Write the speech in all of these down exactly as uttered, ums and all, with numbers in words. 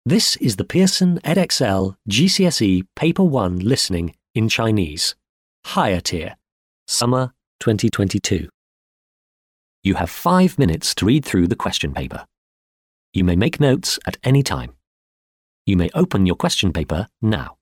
This is the Pearson Edexcel G C S E Paper one Listening in Chinese, Higher Tier, Summer twenty twenty-two. You have five minutes to read through the question paper. You may make notes at any time. You may open your question paper now.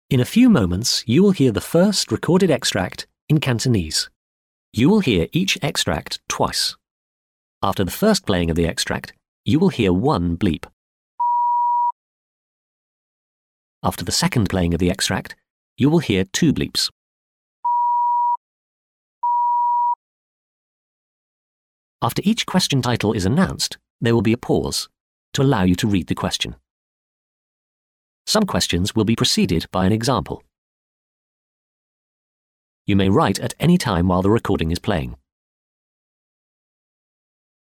In a few moments, you will hear the first recorded extract in Cantonese. You will hear each extract twice. After the first playing of the extract, you will hear one bleep. After the second playing of the extract, you will hear two bleeps. After each question title is announced, there will be a pause to allow you to read the question. Some questions will be preceded by an example. You may write at any time while the recording is playing.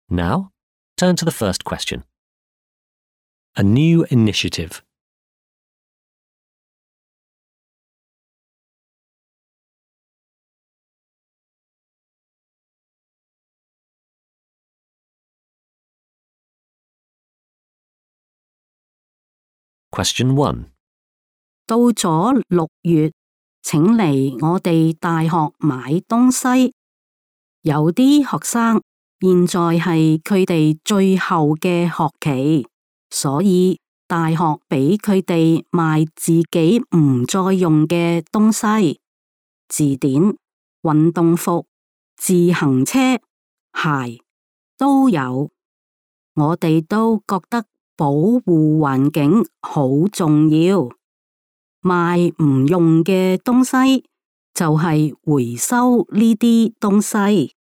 Now, turn to the first question. A new initiative. Question one. 到咗六月，請嚟我哋大學買東西。有啲學生現在係佢哋最後嘅學期，所以大學俾佢哋賣自己唔再用嘅東西，字典、運動服、自行車、鞋都有。我哋都覺得保護環境好重要，賣唔用嘅東西就係回收呢啲東西，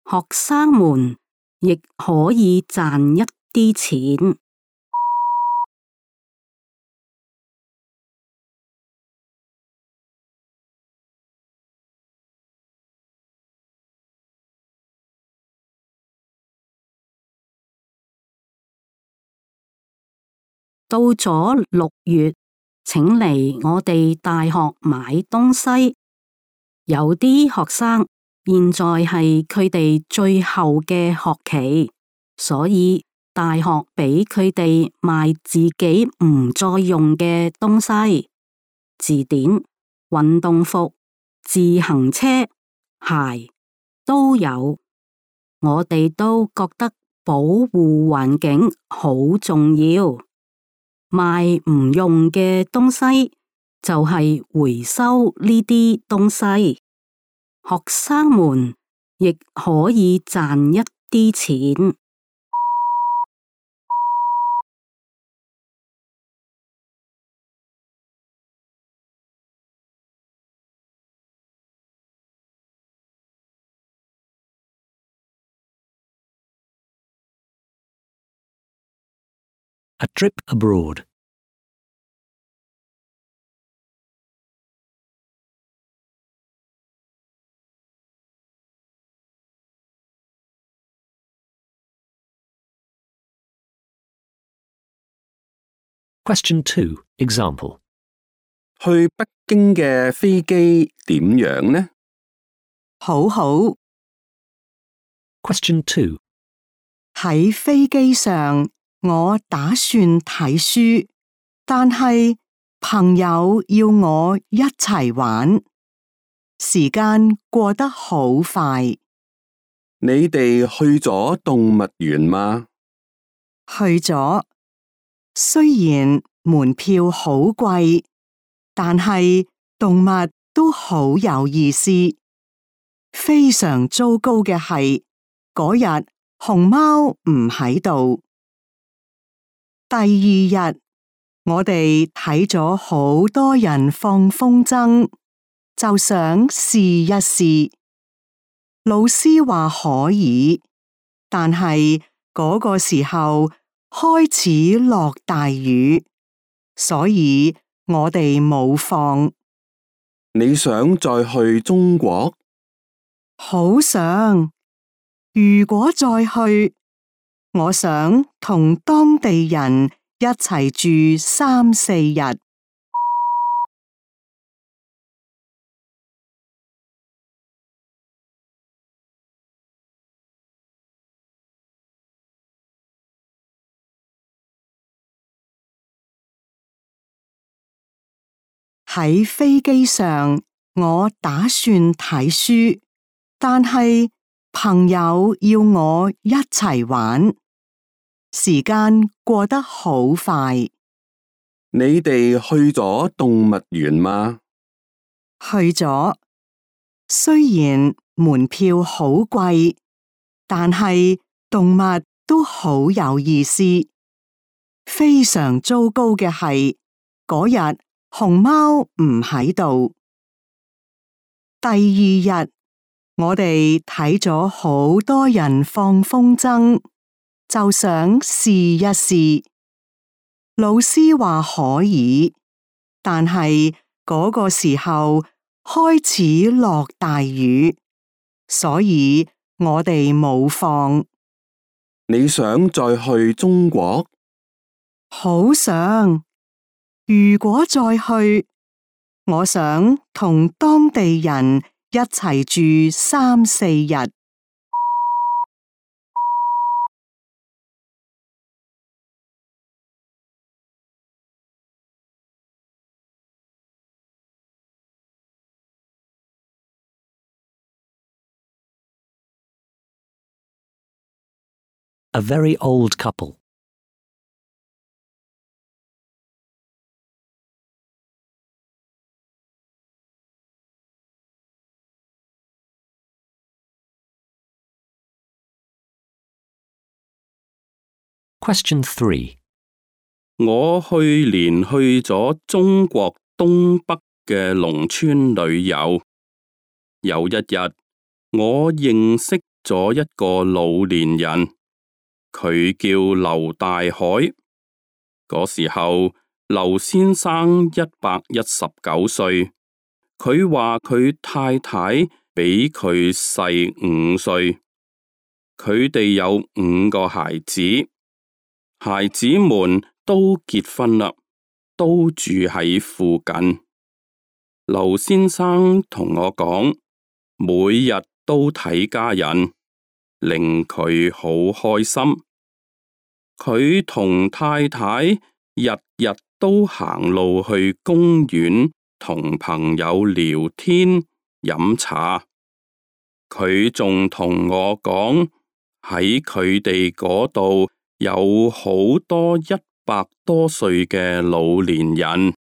學生們亦可以賺一啲錢。到咗六月，請嚟我哋大學買東西。有啲學生現在係佢哋最後嘅學期，所以大學俾佢哋賣自己唔再用嘅東西，字典、運動服、自行車、鞋都有。我哋都覺得保護環境好重要。賣唔用嘅東西就係回收呢啲東西，學生們亦可以賺一啲錢。A trip abroad. Question two. Example. 去北京嘅飛機點樣呢？好好。Question two. 喺飛機上，我打算睇書，但係朋友要我一齊玩，時間過得好快。你哋去咗動物園嗎？去咗，雖然門票好貴，但係動物都好有意思。非常糟糕嘅係，嗰日熊貓唔喺度。第二日，我哋睇咗好多人放風箏，就想試一試。老師話可以，但係嗰個時候開始落大雨，所以我哋冇放。你想再去中國？好想，如果再去，我想同當地人一齊住三四日。喺飛機上，我打算睇書，但係朋友要我一齊玩，時間過得好快。你哋去咗動物園嗎？去咗，雖然門票好貴，但係動物都好有意思。非常糟糕嘅係，嗰日熊貓唔喺度。第二日，我哋睇咗好多人放風箏，就想試一試。老師話可以，但係嗰個時候開始落大雨，所以我哋冇放。你想再去中國？好想，如果再去，我想同當地人一齊住三四日。A very old couple. Question three. 我去年去咗中國東北嘅農村旅遊，有一日我認識咗一個老年人，佢叫劉大海。嗰時候劉先生一百一十九歲，佢話佢太太比佢細五歲，佢哋有五個孩子。孩子們都結婚啦，都住喺附近。劉先生同我講，每日都睇家人，令佢好開心。佢同太太日日都行路去公園同朋友聊天飲茶。佢仲同我講，喺佢哋嗰度有好多一百多歲嘅老年人。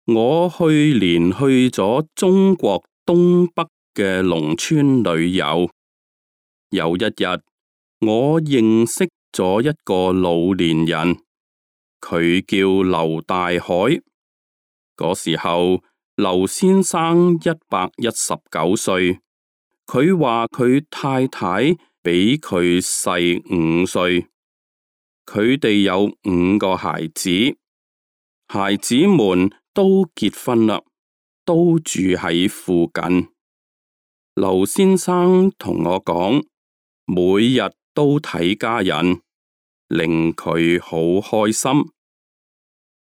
我去年去咗中國東北嘅農村旅遊，有一日我認識咗一個老年人，佢叫劉大海。嗰時候劉先生一百一十九歲，佢話佢太太比佢細五歲，佢哋有五個孩子，孩子們都結婚啦，都住喺附近。劉先生同我講，每日都睇家人，令佢好開心。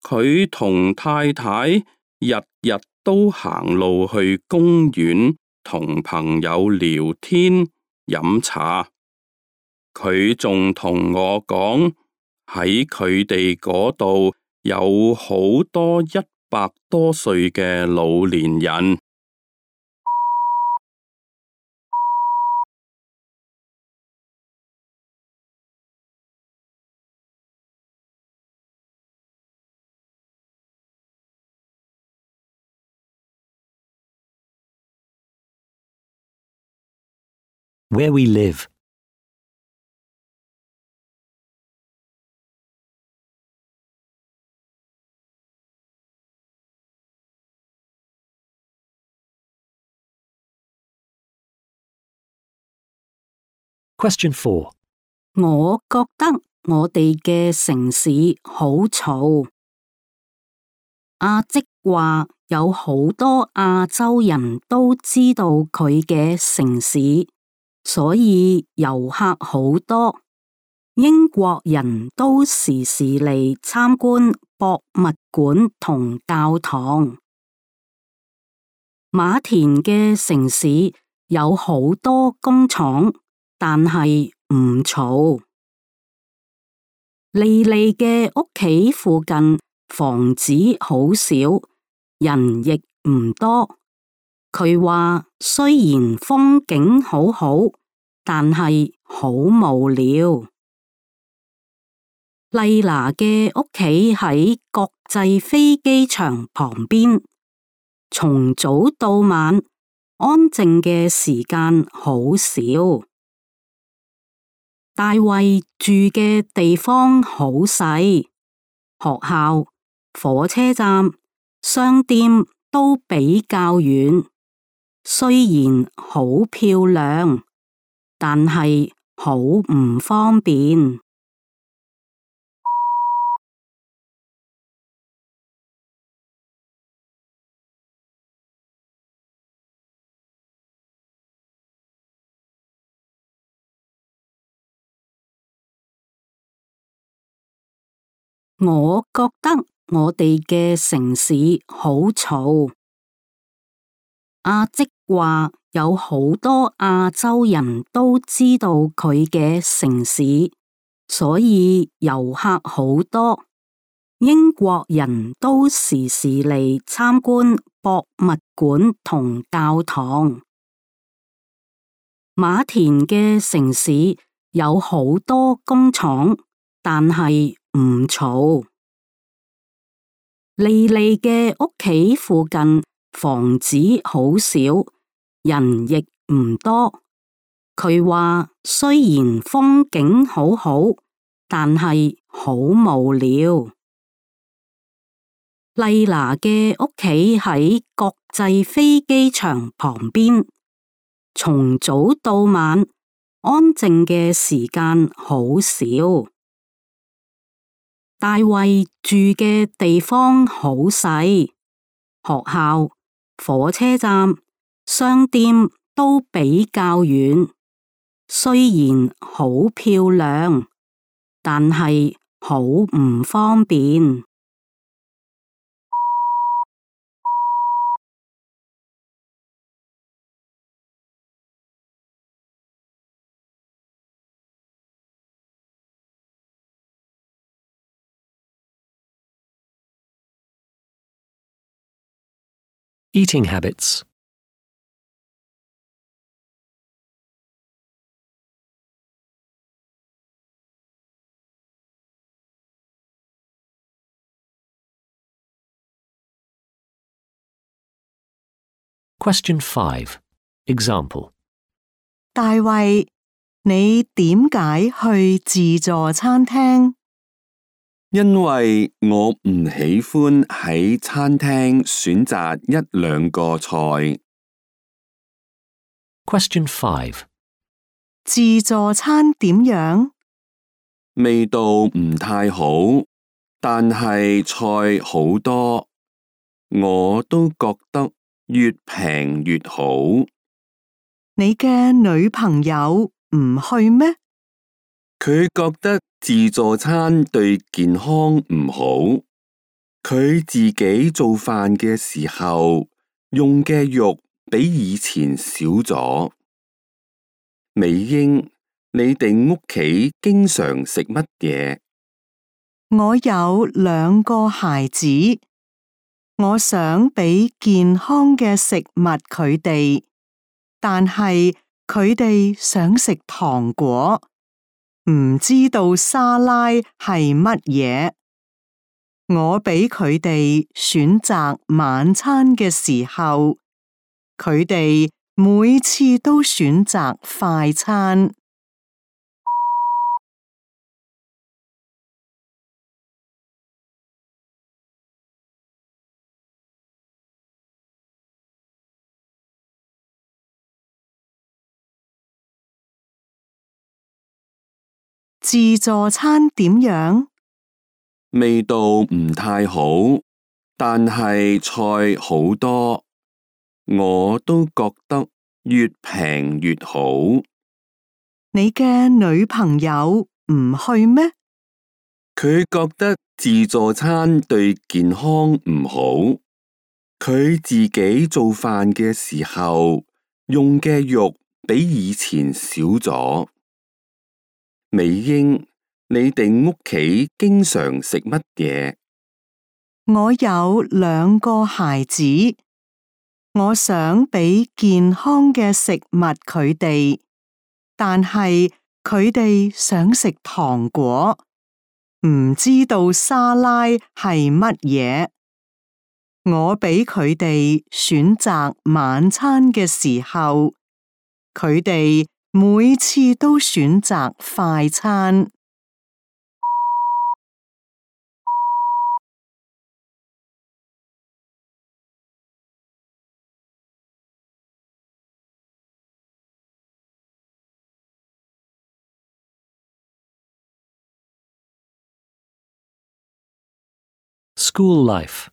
佢同太太日日都行路去公園同朋友聊天飲茶。佢仲同我講，喺佢哋嗰度有好多一百多歲嘅老年人。Where we live. Question four. 我覺得我哋嘅城市好嘈。阿即話有好多亞洲人都知道佢嘅城市，所以遊客好多。英國人都時時嚟參觀博物館同教堂。馬田嘅城市有好多工廠，但係唔嘈。莉莉嘅屋企附近房子好少，人亦唔多。佢話雖然風景好好，但係好無聊。麗娜嘅屋企喺國際飛機場旁邊，從早到晚安靜嘅時間好少。大衛住嘅地方好細，學校、火車站、商店都比較遠。雖然好漂亮，但係好唔方便。我覺得我哋嘅城市好嘈。阿即話有好多亞洲人都知道佢嘅城市，所以遊客好多。英國人都時時嚟參觀博物館同教堂。馬田嘅城市有好多工廠，但係唔嘈。莉莉嘅屋企附近房子好少，人亦唔多。佢話雖然風景好好，但係好無聊。麗娜嘅屋企喺國際飛機場旁邊，從早到晚安靜嘅時間好少。大衛住嘅地方好細，學校、火車站、商店都比較遠。雖然好漂亮，但係好唔方便。Eating habits. Question five. Example. 大衛，你點解去自助餐廳？因為我唔喜歡喺餐廳選擇一兩個菜。Question five. 自助餐點樣？味道唔太好，但係菜好多，我都覺得越平越好。你嘅女朋友唔去咩？佢覺得自助餐對健康唔好，佢自己做飯嘅時候用嘅肉比以前少咗。美英，你哋屋企經常食乜嘢？我有兩個孩子，我想俾健康嘅食物佢哋，但係佢哋想食糖果。唔知道沙拉係乜嘢，我俾佢哋選擇晚餐嘅時候，佢哋每次都選擇快餐。自助餐點樣？味道唔太好，但係菜好多，我都覺得越平越好。你嘅女朋友唔去咩？佢覺得自助餐對健康唔好，佢自己做飯嘅時候用嘅肉比以前少咗。美英，你哋屋企經常食乜嘢？我有兩個孩子，我想俾健康嘅食物佢哋，但係佢哋想食糖果，唔知道沙拉係乜嘢。我俾佢哋選擇晚餐嘅時候，佢哋每次都選擇快餐。School life.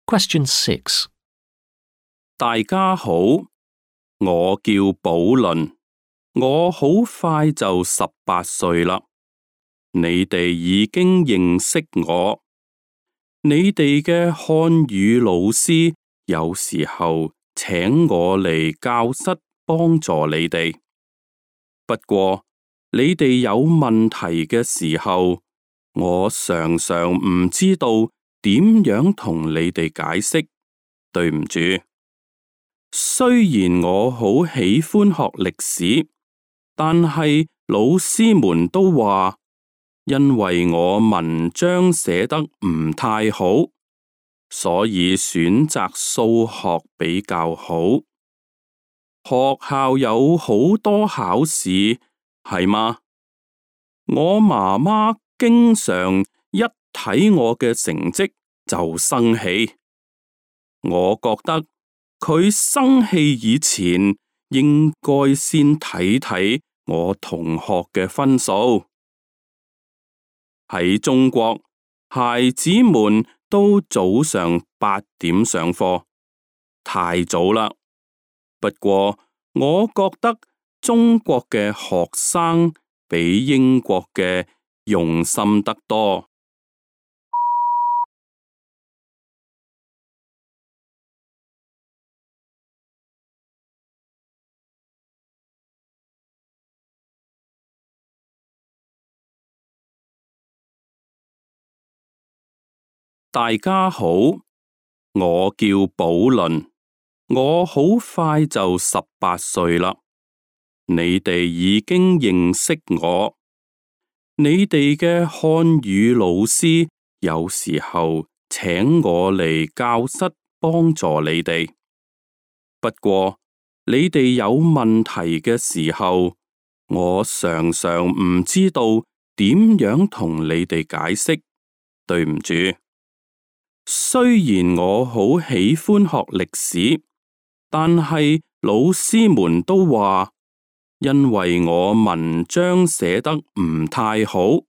Question six. 大家好，我叫寶倫，我好快就十八歲啦。你哋已經認識我。你哋嘅漢語老師有時候請我嚟教室幫助你哋。不過你哋有問題嘅時候，我常常唔知道點樣同你哋解釋。對唔住，雖然我好喜歡學歷史，但係老師們都話，因為我文章寫得唔太好，所以選擇數學比較好。學校有好多考試，係嗎？我媽媽經常一睇我嘅成績就生氣。我覺得佢生氣以前應該先睇睇我同學嘅分數。喺中國，孩子們都早上八點上課，太早啦。不過我覺得中國嘅學生比英國嘅用心得多。大家好，我叫寶倫，我好快就十八歲啦。你哋已經認識我。你哋嘅漢語老師有時候請我嚟教室幫助你哋。不過你哋有問題嘅時候，我常常唔知道點樣同你哋解釋。對唔住。雖然我好喜歡學歷史，但係老師們都話，因為我文章寫得唔太好，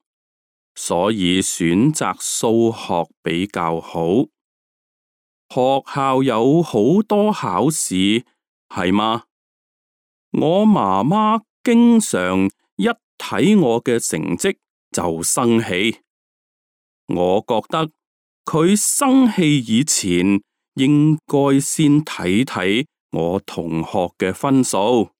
所以選擇數學比較好。學校有好多考試，係嗎？我媽媽經常一睇我嘅成績就生氣。我覺得佢生氣以前應該先睇睇我同學嘅分數。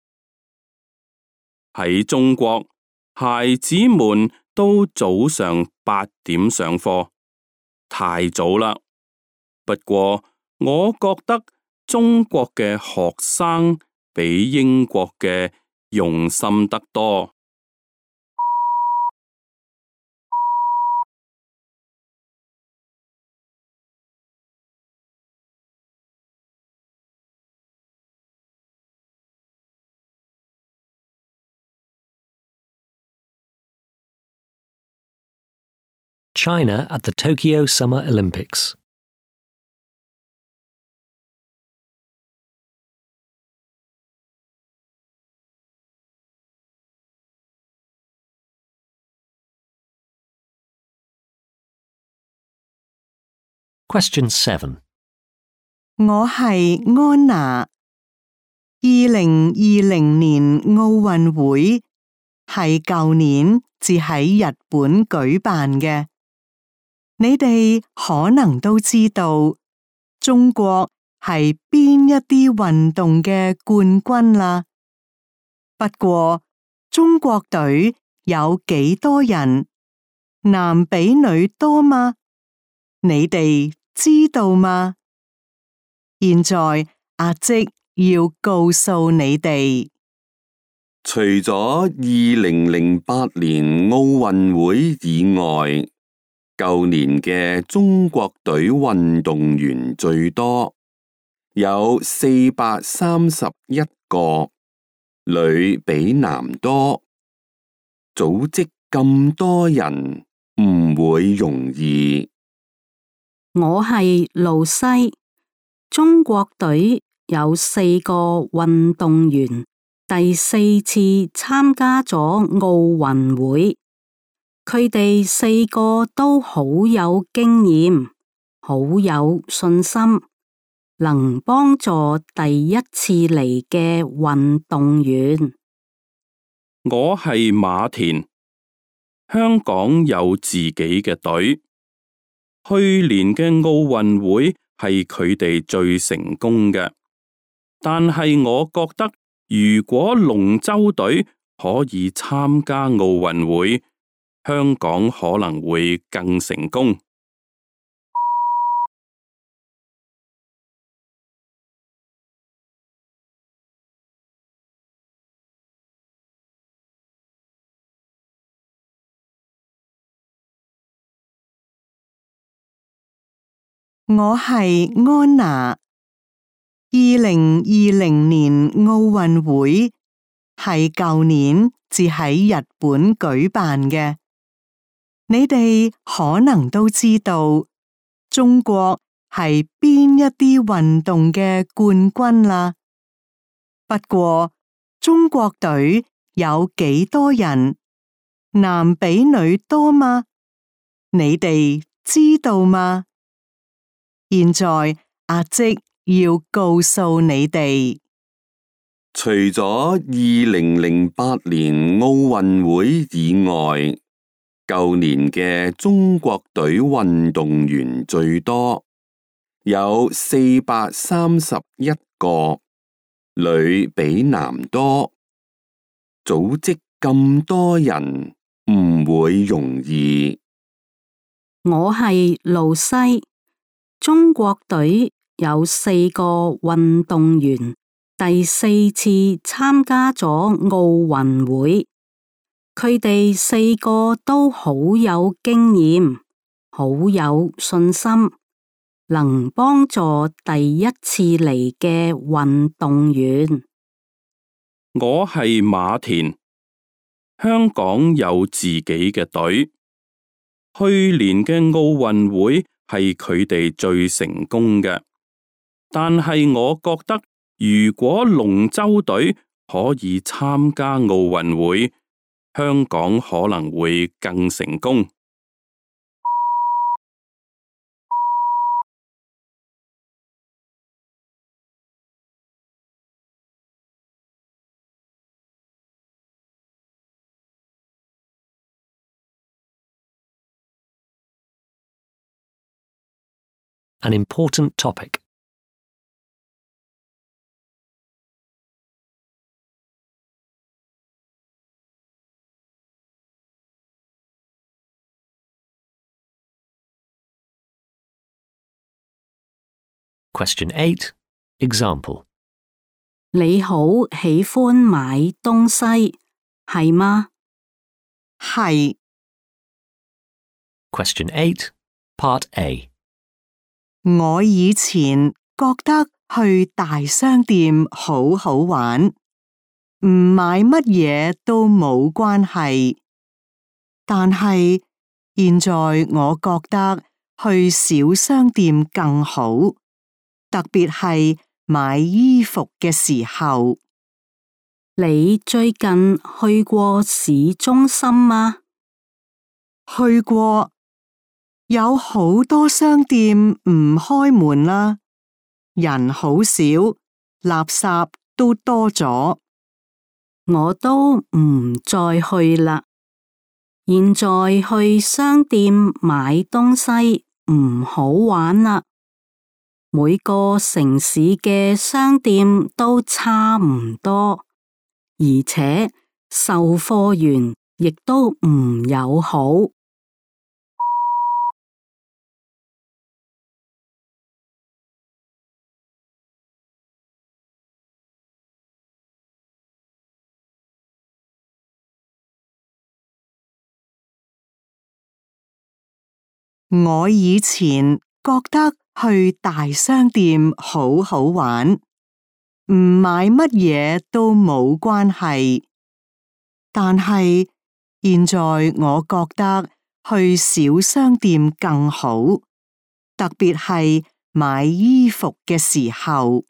喺中國，孩子們都早上八點上課，太早啦。不過我覺得中國嘅學生比英國嘅用心得多。China at the Tokyo Summer Olympics. Question seven. 我係安娜。二零二零年奧運會係舊年至喺日本舉辦嘅。你哋可能都知道中國係邊一啲運動嘅冠軍啦。不過中國隊有幾多人？男比女多嗎？你哋知道嗎？現在阿即要告訴你哋，除咗二零零八年奧運會以外，舊年嘅中國隊運動員最多，有四百三十一個，女比男多。組織咁多人唔會容易。我係露西，中國隊有四個運動員第四次參加咗奧運會，佢哋四個都好有經驗，好有信心，能幫助第一次嚟嘅運動員。我係馬田，香港有自己嘅隊。去年嘅奧運會係佢哋最成功嘅，但係我覺得如果龍舟隊可以參加奧運會，香港可能會更成功。我係安娜。二零二零年奧運會係舊年至喺日本舉辦嘅。你哋可能都知道中國係邊一啲運動嘅冠軍啦。不過中國隊有幾多人？男比女多嗎？你哋知道嗎？現在阿即要告訴你哋，除咗二零零八年奧運會以外，舊年嘅中國隊運動員最多，有四百三十一個，女比男多。組織咁多人唔會容易。我係露西。中國隊有四個運動員第四次參加咗奧運會，佢哋四個都好有經驗，好有信心，能幫助第一次嚟嘅運動員。我係馬田，香港有自己嘅隊。去年嘅奧運會係佢哋最成功嘅，但係我覺得如果龍舟隊可以參加奧運會，香港可能會更成功。An important topic. Question eight. Example. 你好喜歡買東西，係嗎？係。Question eight. Part A. 我以前覺得去大商店好好玩，唔買乜嘢都冇關係。但係現在我覺得去小商店更好，特別係買衣服嘅時候。你最近去過市中心嗎？去過。有好多商店唔開門啦，人好少，垃圾都多咗。我都唔再去啦。現在去商店買東西唔好玩啦。每個城市嘅商店都差唔多，而且售貨員亦都唔友好。我以前覺得去大商店好好玩，唔買乜嘢都冇關係。但係現在我覺得去小商店更好，特別係買衣服嘅時候。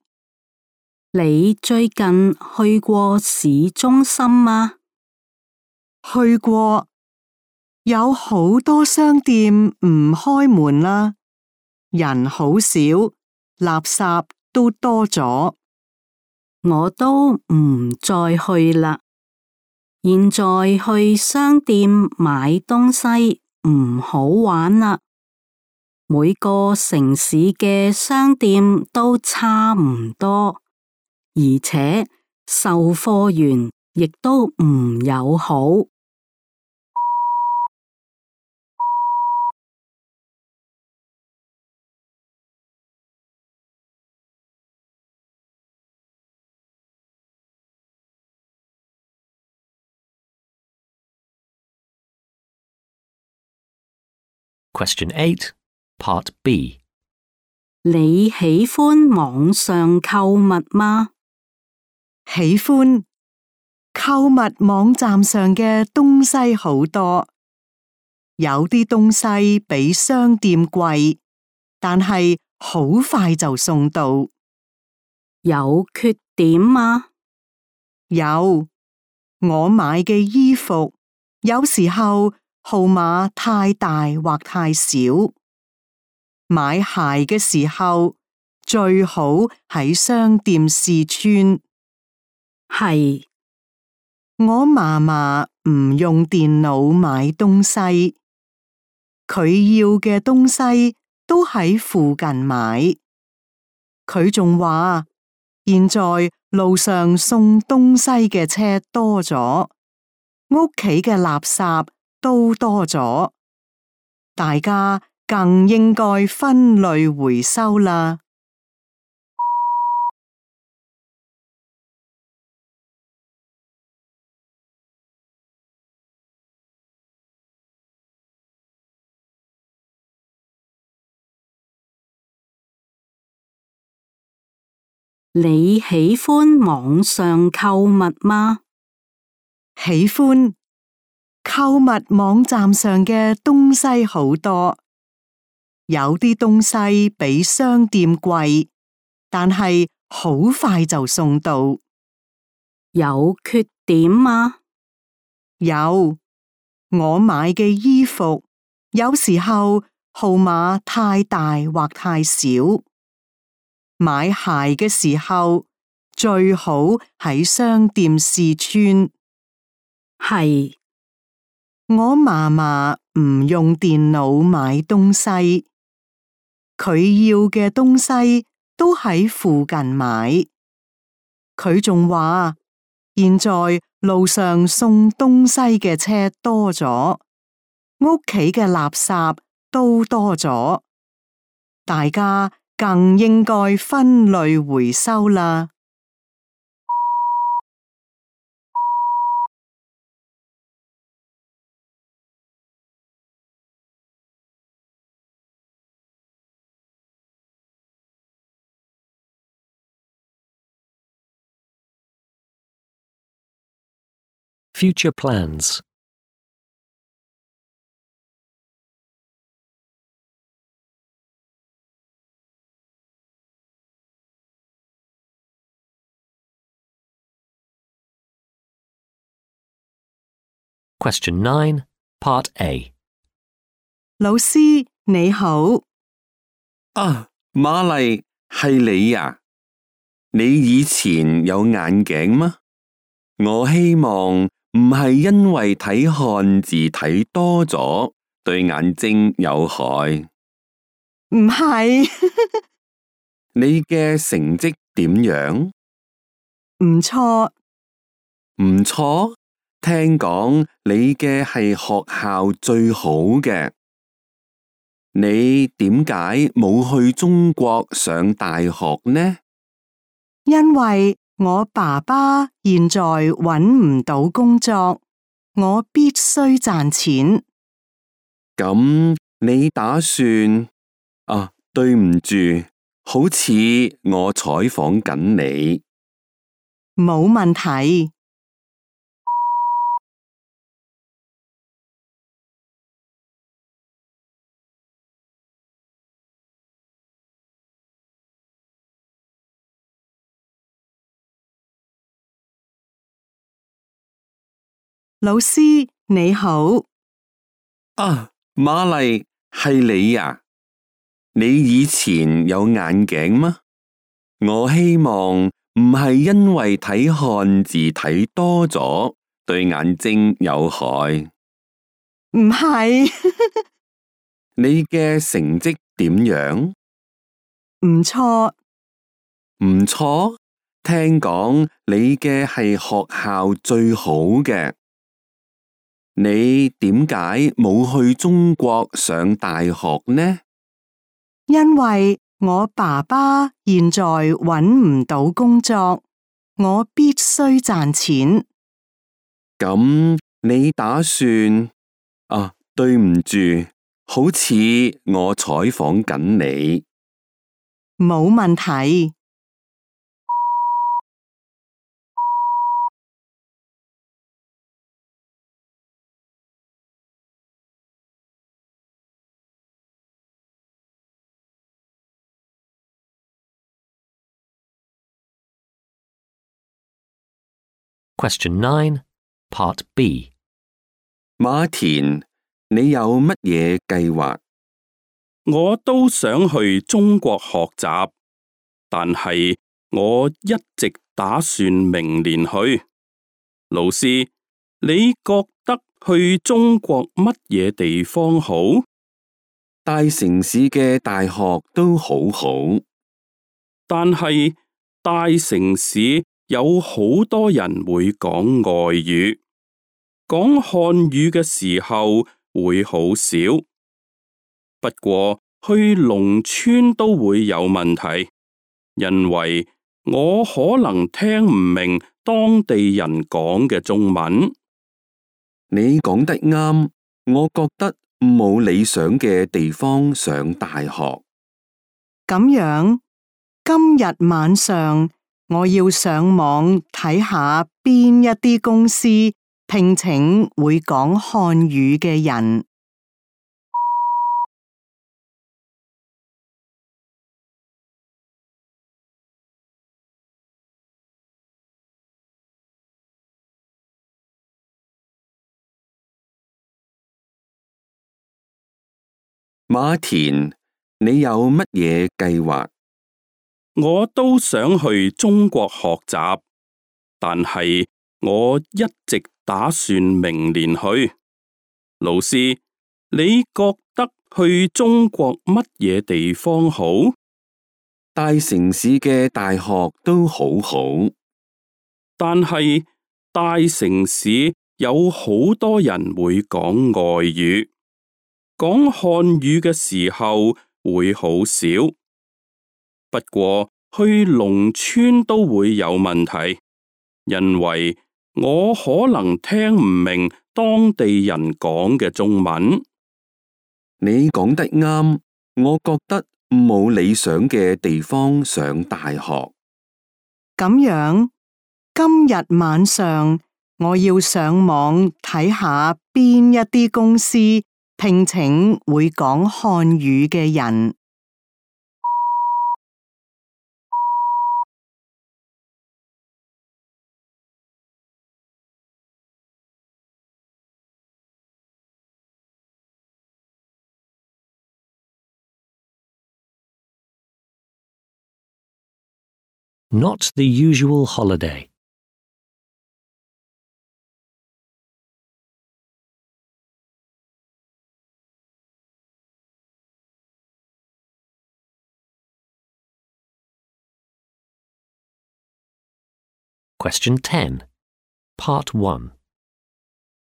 你最近去過市中心嗎？去過。有好多商店唔開門啦，人好少，垃圾都多咗。我都唔再去啦。現在去商店買東西唔好玩啦。每個城市嘅商店都差唔多，而且售貨員亦都唔友好。Question eight, Part B. 你喜歡網上購物嗎？喜歡。購物網站上嘅東西好多，有啲東西比商店貴，但係好快就送到。有缺點嗎？有。我買嘅衣服有時候號碼太大或太少。買鞋嘅時候最好喺商店試穿。係。我嫲嫲唔用電腦買東西，佢要嘅東西都喺附近買。佢仲話，現在路上送東西嘅車多咗，屋企嘅垃圾都多咗，大家更應該分類回收啦。你喜歡網上購物嗎？喜歡。購物網站上嘅東西好多，有啲東西比商店貴，但係好快就送到。有缺點嗎？有。我買嘅衣服有時候號碼太大或太少。買鞋嘅時候最好喺商店試穿。係。我嫲嫲唔用電腦買東西，佢要嘅東西都喺附近買。佢仲話，現在路上送東西嘅車多咗，屋企嘅垃圾都多咗，大家更應該分類回收啦。Future plans. Question nine, Part A. 老師你好。啊，瑪麗，係你呀？你以前有眼鏡嗎？我希望唔係因為睇漢字睇多咗，對眼睛有害。唔係，你嘅成績點樣？唔錯，唔錯。聽講你嘅係學校最好嘅。你點解冇去中國上大學呢？因為我爸爸現在揾唔到工作，我必須賺錢。咁你打算？啊，對唔住，好似我採訪緊你。冇問題。老師你好。啊，瑪麗，係你呀？你以前有眼鏡嗎？我希望唔係因為睇漢字睇多咗，對眼睛有害。唔係，你嘅成績點樣？唔錯，唔錯。聽講你嘅係學校最好嘅。你點解冇去中國上大學呢？因為我爸爸現在揾唔到工作，我必須賺錢。咁你打算？啊，對唔住，好似我採訪緊你。冇問題。Question nine, Part B. 馬田，你有乜嘢計劃？我都想去中國學習，但係我一直打算明年去。老師，你覺得去中國乜嘢地方好？大城市嘅大學都好好，但係大城市有好多人會講外語，講漢語嘅時候會好少。不過去農村都會有問題，因為我可能聽唔明當地人講嘅中文。你講得啱，我覺得冇理想嘅地方上大學。咁樣，今日晚上我要上網睇下邊一啲公司聘請會講漢語嘅人。馬田，你有乜嘢計劃？我都想去中國學習，但係我一直打算明年去。老師，你覺得去中國乜嘢地方好？大城市嘅大學都好好，但係大城市有好多人會講外語，講漢語嘅時候會好少。不過去農村都會有問題，因為我可能聽唔明當地人講嘅中文。你講得啱，我覺得冇理想嘅地方上大學。咁樣，今日晚上我要上網睇下邊一啲公司聘請會講漢語嘅人。Not the usual holiday. Question ten, Part one.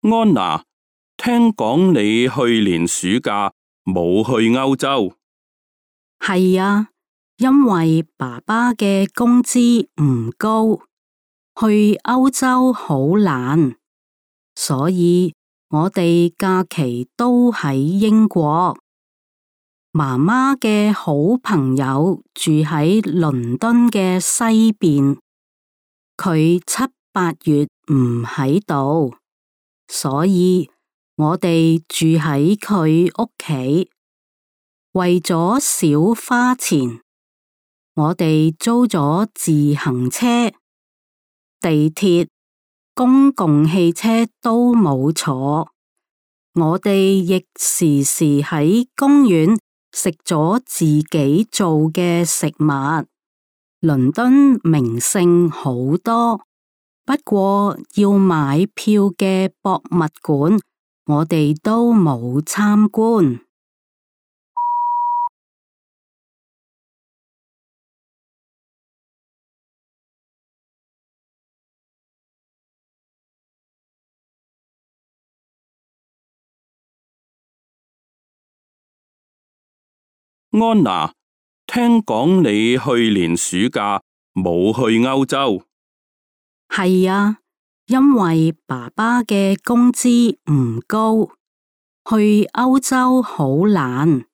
安娜，聽講你去年暑假冇去歐洲。係啊，因為爸爸嘅工資唔高，去歐洲好難，所以我哋假期都喺英國。媽媽嘅好朋友住喺倫敦嘅西邊，佢七八月唔喺度，所以我哋住喺佢屋企。為咗少花錢，我哋租咗自行車、地鐵、公共汽車都冇坐。我哋亦時時喺公園食咗自己做嘅食物。倫敦名勝好多，不過要買票嘅博物館，我哋都冇參觀。安娜，聽講你去年暑假冇去歐洲。係啊，因為爸爸嘅工資唔高，去歐洲好難，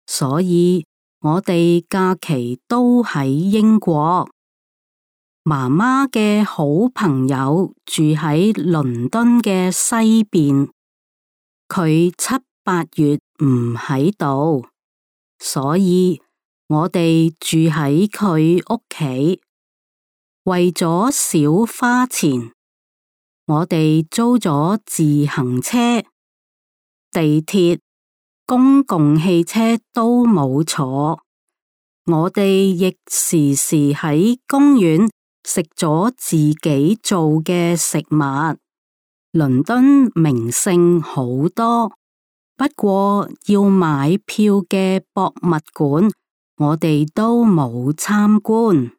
所以我哋假期都喺英國。媽媽嘅好朋友住喺倫敦嘅西邊，佢七八月唔喺度。所以我哋住喺佢屋企。為咗少花錢，我哋租咗自行車、地鐵、公共汽車都冇坐。我哋亦時時喺公園食咗自己做嘅食物。倫敦名勝好多，不過要買票嘅博物館，我哋都冇參觀。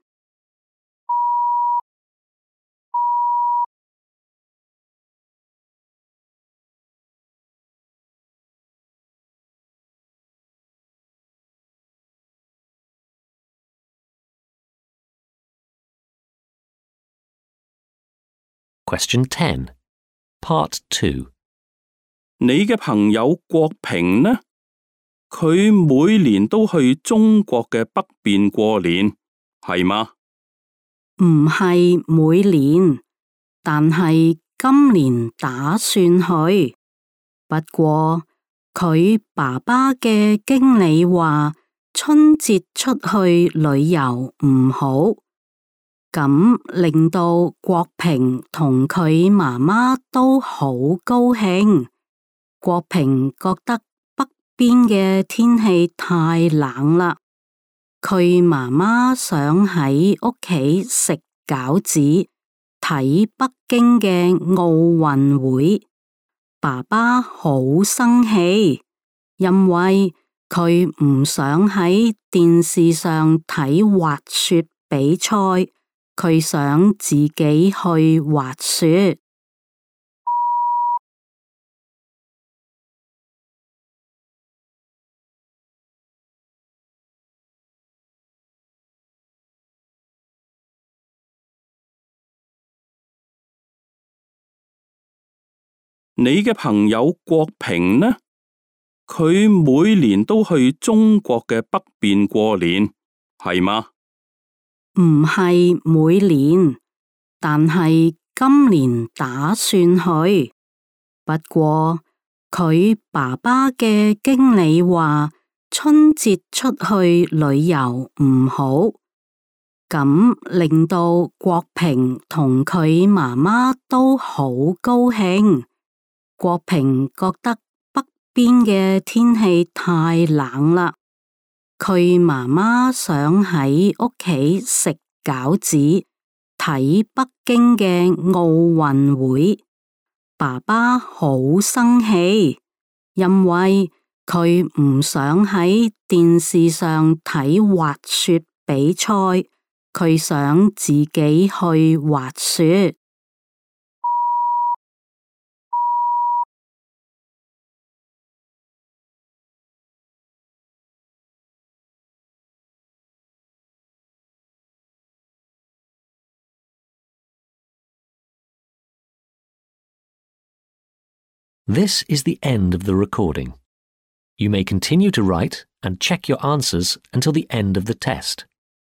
Question ten, Part two. 你嘅朋友國平呢？佢每年都去中國嘅北邊過年，係嗎？唔係每年，但係今年打算去。不過佢爸爸嘅經理話春節出去旅遊唔好，咁令到國平同佢媽媽都好高興。國平覺得北邊嘅天氣太冷啦，佢媽媽想喺屋企食餃子，睇北京嘅奧運會。爸爸好生氣，因為佢唔想喺電視上睇滑雪比賽，佢想自己去滑雪。你嘅朋友國平呢？佢每年都去中國嘅北邊過年，係嗎？唔係每年，但係今年打算去。不過佢爸爸嘅經理話春節出去旅遊唔好，咁令到國平同佢媽媽都好高興。國平覺得北邊嘅天氣太冷啦，佢媽媽想喺屋企食餃子，睇北京嘅奧運會。爸爸好生氣，因為佢唔想喺電視上睇滑雪比賽，佢想自己去滑雪。This is the end of the recording. You may continue to write and check your answers until the end of the test.